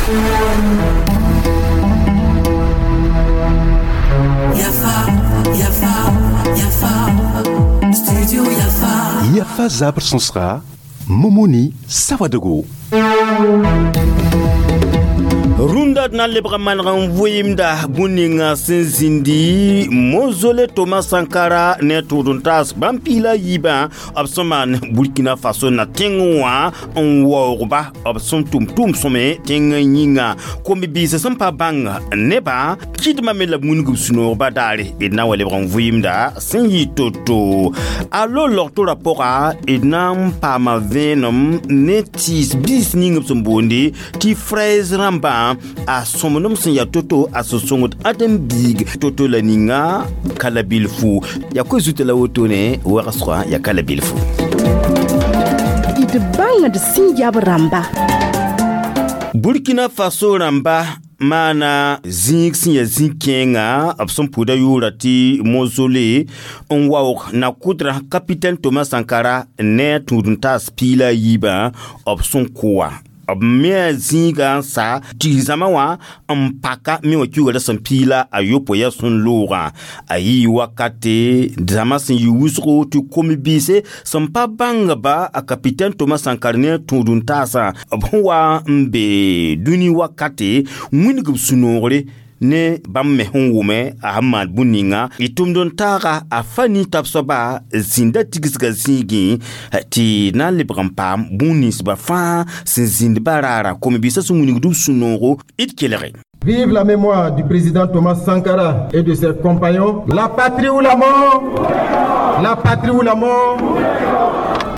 Yafa, Yafa, Yafa, Studio Yafa. Yafa zabr sõsga Momoni Sawadogo. Rũndã d na n lebg maneg n vɩɩmda bũn ninga sẽn zĩndi mozole Thomas Sankara ne tʋʋd n taas bãmb piila yiibã b sẽn maan Burkina Faso na tẽng wã n waoogba b sẽn tʋm tʋʋm sõme tẽng yĩnga kom-biisã sẽn pa bãng nebã kɩdmã me la b wilg b sũ-noogba daare d na n wa lebg n vɩɩmda sẽn yɩ to-to a lo logtorã pʋga d na n paama vẽenem ne tɩɩs biis ning b sẽn boonde tɩ fraise rãmbã a sõmblem sẽn yaa to-to a sẽn sõngd ãdem-biig to-to la ninga ka la bilfu yaa koe zuta la wotone wagsgã yaa ka la bilfu d bãngd sẽn yab rãmba. Burkina Faso rãmba maana zĩig sẽn yaa zĩ-kẽenga b sẽn pʋʋda yʋʋra tɩ mozole n waoog na kʋdrã capitaine Thomas Sankara ne a tũud n taas piila a yiibã b sẽn kʋ wã b me a zĩigã n sa tɩ zãma wã n paka me wã kiuga sẽn piila a yopoe yaa sẽn loogã a yɩ wakate zãma sẽn yɩ wʋsgo tɩ kom-biise sẽn pa bãngba a capitaine Thomas Sankara ne a tũud n taasã b sẽn wa n be dũni wakate wilg b sũ-noogre ne bãmb me sẽn wʋme a sẽn maan bũn ninga y tʋmd n taaga a fa nin-tab soaba zĩnda tigsgã zĩigẽ tɩ na n lebg n paam bũn ninsbã fãa sẽn zĩnd ba raara kom-biisã sẽn wilgd b sũ-noogo d kelge. Vive la mémoire du président Thomas Sankara et de ses compagnons. La patrie ou la mort. La patrie ou la mort.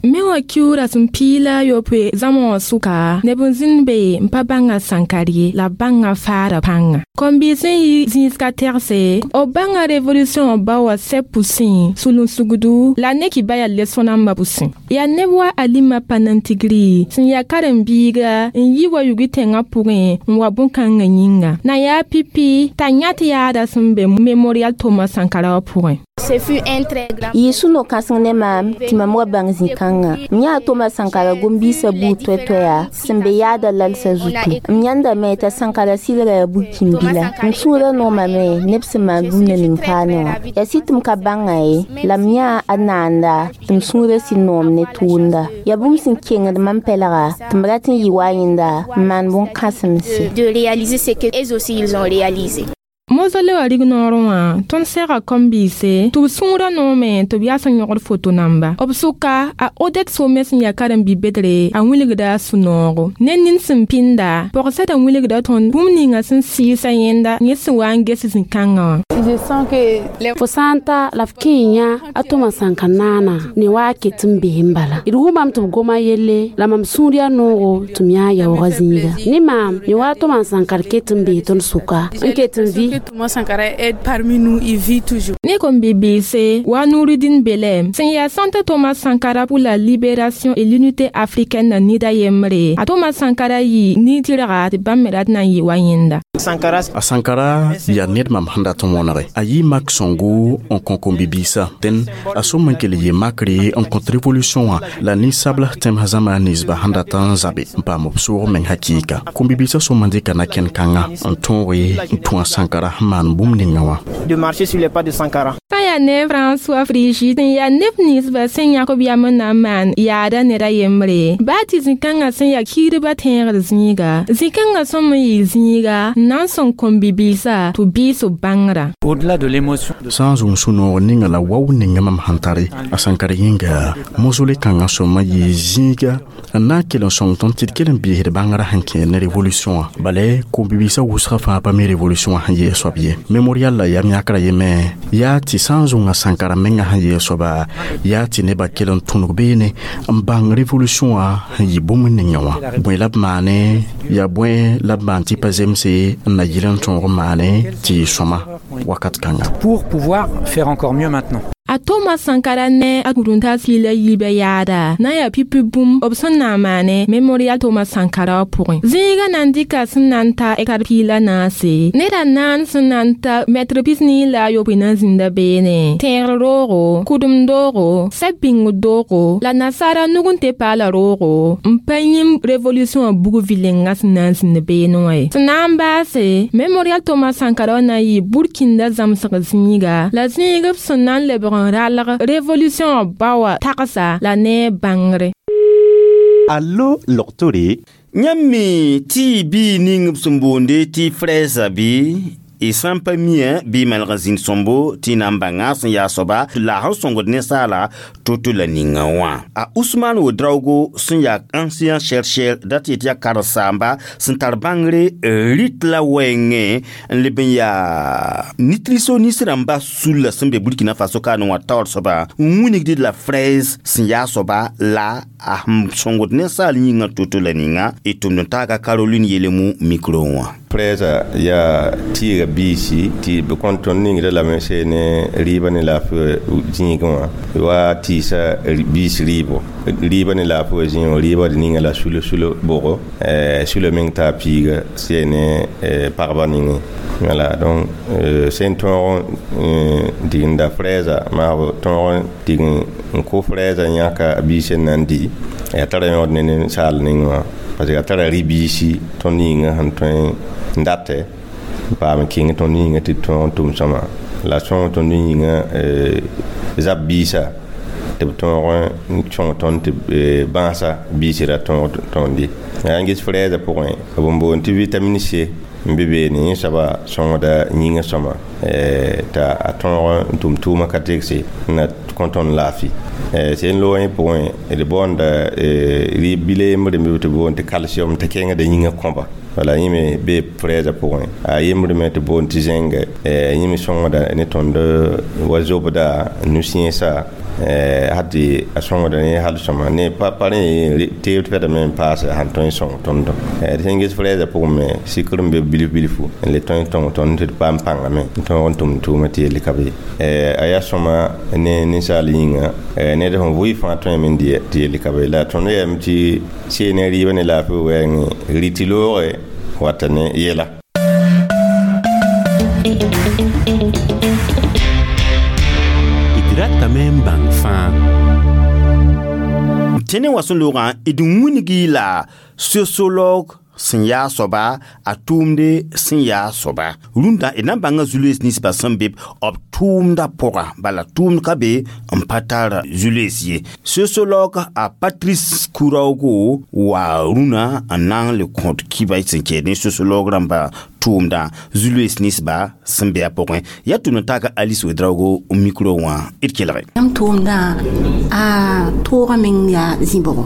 Me wã kiuura sẽn piila yopoe zãma wã sʋka neb n zĩnd be n pa bãnga Sankar ye la b bãnga faara pãnga kom-biis sẽn yi zĩisga tɛgse b bãnga révolution ba wa sɛ pʋsẽ sulun-sugdu la ne kɩ ba yaa leso-nambã pʋsẽ yaa neb wa Alima Panantigri sẽn yaa karen-biiga n yi wa yugi tẽngã pʋgẽ n wa bõn-kãngã yĩnga na yaa pipi t'a yãt yaada sẽn be mémorial Thomas Sankara wã pʋgẽ. Yɩ sũ-no-kãseng ne maam tɩ mam wa bãng zĩ-kãngã m yãa Thomas Sankara gom-biisã buud toɛ-toɛya sẽn be yaada lalsã zutu m yãndame t'a Sankara sɩlga yaa bu-kĩmbila m sũurã noomame neb sẽn maan bũmb na ning paane wã yaa sɩ tɩ m ka bãnga ye la m yãa a naanda tɩ m sũurã sɩ noom ne tʋʋmda yaa bũmb sẽn kengd mam pɛlga tɩ m rat n yɩ wa yẽnda n maan bõn-kãsemse. De réaliser ce que eux aussi ils ont réalisé. Mozole wã rig-noorẽ wã tõnd sɛga kom-biise tɩ b sũurã noome tɩ b yaa sẽn yõgd foto namba b sʋka a Odette Some sẽn yaa karen-bi-bedre a wilgda a sũ-noogo ne nin sẽn pĩnda pɔgsɛda wilgda tõnd bũmb ninga sẽn sɩɩsa yẽnda yẽ sẽn wa n ges zĩ-kãngã wã. Fo sã n ta la f kẽ n yã a Thomas Sankara naana ne wa a ket n bee n bala d wʋmame tɩ b goma yelle la mam sũur yaa noogo tɩ m yã yaoogã zĩiga ne maam ne wa a Thomas Sankara ket n bee tõnd sʋka n ket n vɩ. Thomas Sankara est parmi nous, il vit toujours. Ne kom-bibiise wa Nouridine Belem sẽn yaa Centre Thomas Sankara pour la libération et l'unité africaine na nida yembre a Thomas Sankara yɩ nin-tɩrga tɩ bãmb me rat na n yɩ wa yẽnda. A Sankara yaa ned mam sẽn dat n wõnege a yɩ mak sõngo n kõ kom-bibiisã dẽn a sõm n kell yɩ makre n kõt révolution wã la ninsabl tẽmsã zãma ninsba sẽn dat n zabe n paam b soog meng hakɩɩka kom-bibiisã sõm n dɩka na-kẽn-kãngã n tõoge n tũ a Sankara sẽn maan bũmb ninga wã. De marcher sur les pas de Sankara. Sã yaa ne François Frigide sẽn yaa neb ninsbã sẽn yãk b yam n na n maan yaada ned a yembre baa tɩ zĩ-kãngã sẽn yaa kiidbã tẽegd zĩiga zĩ-kãngã sõm n yɩ zĩiga n na n sõng kom-bibiisã tɩ b biis b bãngrã. Au-delà de l'émotion. Sã n zʋm sũ-noog ninga la wao ninga mam sẽn tare a Sankara yĩnga mozole kãngã sõma yɩ zĩiga n na n kell n sõng tõnd tɩ d kell n biisd bãngrã sẽn kẽer ne révolution wã bala kom-bibiisã wʋsgã fãa pa mi révolution wã sẽn yee soab ye mémorial la yam yãkra yeme yaa tɩ sã n zʋnga Sankara menga sẽn yee soaba yaa tɩ nebã kell n tõneg beene n bãng révolution wã sẽn yɩ bũmb ninga wã bõe la b maane yaa bõe la b maan tɩ pa zemse n na yɩl n tõog n maane tɩ yɩ sõma wakat kãnga. Pour pouvoir faire encore mieux maintenant. A Thomas Sankara ne a rũndã sɩɩla yiibã yaada na n yaa pipi bũmb b sẽn na n maane Memorial Thomas Sankara wã pʋgẽ. Zĩigã na n dɩka sẽn na n ta hectare 14, neda naan sẽn na n ta mɛtr 49 na n zĩnda beene, tẽegr roogo, kʋdem doogo, sɛb bĩngd doogo la nasaara nug n tɩ paala roogo n pa yĩm revolution wã bug vɩlenga sẽn na n zĩnd beene wã ye. Sẽn na n baase, Memorial Thomas Sankara wã na n yɩ burkinda zãmsg zĩiga la zĩig b sẽn na n lebg n ralg revolution ba wã tagsa la ne bãngre. Allo loktore. Yãmb me tɩ y bii ning b sẽn boonde tɩ frɛɛsa bɩ y sã n pa miã bɩ y maneg n zĩnd sõmbo tɩ y na n bãnga sẽn yaa soaba la sẽn sõngd ninsaala to-to la ninga wã. A Ousmane Ouedraogo sẽn yaa ancien chercheur dat yetɩ yaa karen-saamba sẽn tar bãngre rɩt la wɛɛngẽ n leb n yaa nutritionniste rãmba sulla sẽn be Burkina Faso kaane wã taoor soaba n wilgd la fraise sẽn yaa soaba la a sẽn sõngd ninsaal yĩngã to-to la ninga y tʋmd n taaga Caroline Yelemu micro wã. Fraise yaa tɩɩga biisi tɩ b kõn tõnd ningda lame se ne rɩɩbã ne laafɩ zĩigẽ wã wa tɩɩsa biis rɩɩbo rɩɩbã ne laafɩ wã zĩig wã rɩɩbã d ninga la sulo-sulo bʋgo sulo meng taa piiga se ne pagba ningẽ. Voilà, donc sẽn tõog n digenda fraise maabo tõog n dig n kʋ fraise yãka a biis n na n di ya tara yõod ne ninsaal ning wã parce que a tara rɩ-biisi tõnd yĩngã sẽn tõe n datɛ n paam kẽng tõnd yĩngã tɩ tõog n tʋm sõma la sõng tõnd yĩngã zab biisa tɩ b tõog n sõng tõnd tɩ bãasa biisi ra tõog tõnd ye. N ges fraise pʋgẽ b n boond tɩ vitamine C n be beene yẽ soaba sõngda yĩngã sõma t'a a tõog n tʋm tʋʋmã ka tegse n na kõ tõnd laafɩ. Sẽn loog yẽ pʋgẽ d boonda rɩɩb bila yembre n be tɩ boond tɩ calcium t'a kẽngda yĩngã kõba. Wala yẽ me bee fraise pʋgẽ a yembre me tɩ boond tɩ zinc yẽ me sõngda ne tõnd wa zobda nu-sẽesa had tɩ a sõngda ne hal sõma ne pa rẽ teeb pɛdame n paase sãn tõe n sõng tõndo. D sẽn ges fraise pʋgẽ me sɩkr n be bilf bilfu n le tõe n tõng tõnd tɩ d paam pãngame n tõog n tʋm tʋʋmã tɩ yelle ka be ye. A yaa sõma ne ninsaal yĩnga ned sẽn vʋɩ fãa tõeme n dɩ tɩ yelle ka be la tõnd yɛm tɩ see ne rɩɩbã ne laafɩ wɛɛngẽ rɩtɩ loogre wata ne yɛla. D ratame n bãng fãa. Tẽne wã sẽn loogã d wilgi la sociologue sẽn yaa soaba a tʋʋmde sẽn yaa soaba. Rũndã d na n bãnga zu-loees ninsbã sẽn be b tʋʋmdã pʋga bala tʋʋmd ka be n pa tar zu-loees ye. Sociologue a Patrice Kouraogo wa rũnã n na n le kõt kiba sẽn kɛɛd ne sociologue rãmba tʋʋmdã zu-loees ninsba sẽn be a pʋgẽ. Yaa tʋmd n taaka Alice Ouedraogo micro wã d kelge. Yãmb tʋʋmdã a toogã meng yaa zĩ-bʋgo.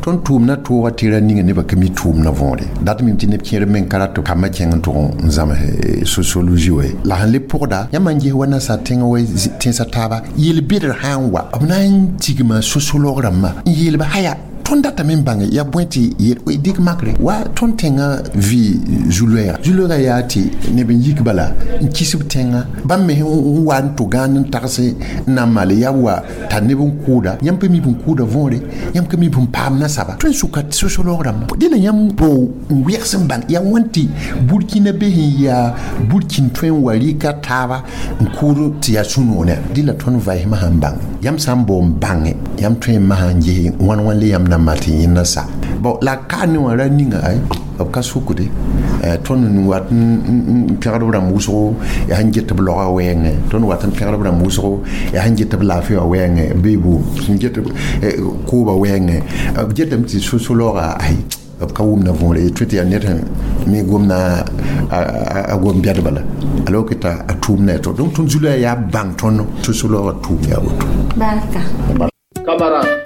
Tõnd tʋʋmdã tooga tɩ ra ninga nebã ka mi tʋʋmdã võore dat mim tɩ neb kẽer meng ka rat tɩ kambã kẽng n tʋg n zãms sociologie wa la sẽn le pʋgda yãmb n ges wa nasaar tẽngã wa tẽnsã taaba yel-bɩdr sã n wa b na n tigma sociologue rãmbã n yeelba haya tõnd datame n bãnge yaa bõe tɩ dɩk makre wa tõnd tẽngã vɩ zu-loɛɛga zu-loɛɛga yaa tɩ neb n yik bala n kis b tẽngã bãmb me n wa n tʋ gãan n tags n na n maale yaa wa tar neb n kʋʋda yãmb pa mi b n kʋʋda võore yãmb ka mi b n paam nasaba tõe n sʋka sociologue rãmbã dẽla yãmb bao n wɛgs n bãng yaa wãn tɩ burkina be sẽn yaa burkin tõe n wa rɩka taaba n kʋʋd tɩ yaa sũ-noonã dɩla tõnd vaɩsmã sãn bãng yãmb sã n bao n bãnge yãmb tõe n masã n ges wãn wãn le yãmb na n maan tɩ yẽnda sa bon la ka ne wã ra ninga ay b ka sukde tõnd n wat n pẽgd b rãmb wʋsgo yaa sẽn get b laoga wɛɛngẽ tõnd wat n pẽgd b rãmb wʋsgo yaa sẽn get b laafɩ wã wɛɛngẽ bɩ boom sẽn get kooba wɛɛngẽ b getame tɩ sociologa ay b ka wʋmda võore tõe tɩ yaa ned sẽn mi gomna a gom bɛd bala alors que t'a tʋʋmda to donc tõnd zulã yaa bãng tõnd sociologa tʋʋm yaa woto. Barka. Camarade.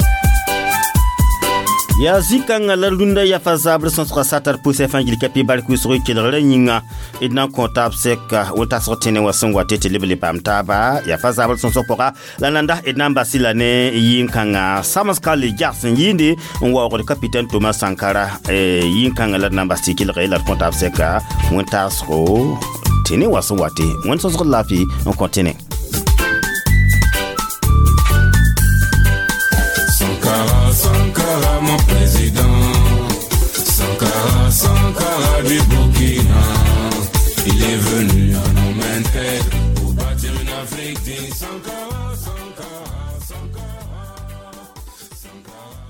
Yaa zĩ-kãngã la rũndã yafa zabr sõsga satar pʋsɛ fãa gil ka pɩ bark wʋsg kelgrã yĩnga d na n kõ taab sɛka wʋl-tasg tẽne wã sẽn wa tɩ tɩ leb le paam taaba yafa zabr sõsg pʋga la nanda d na n bas la ne yĩn-kãngã samska le jags n yɩɩnde n waoogd capitaine Thomas Sankara yĩn-kãngã la d na n bas tɩ kelge la d kõ taab sɛka wẽn-taasgo tẽne wã sẽn wa tɩ wẽnd sõsg laafɩ n kõ tẽne. roi du Burkina. Il est venu en homme intègre pour bâtir une Afrique digne. Sankara, Sankara, Sankara, Sankara.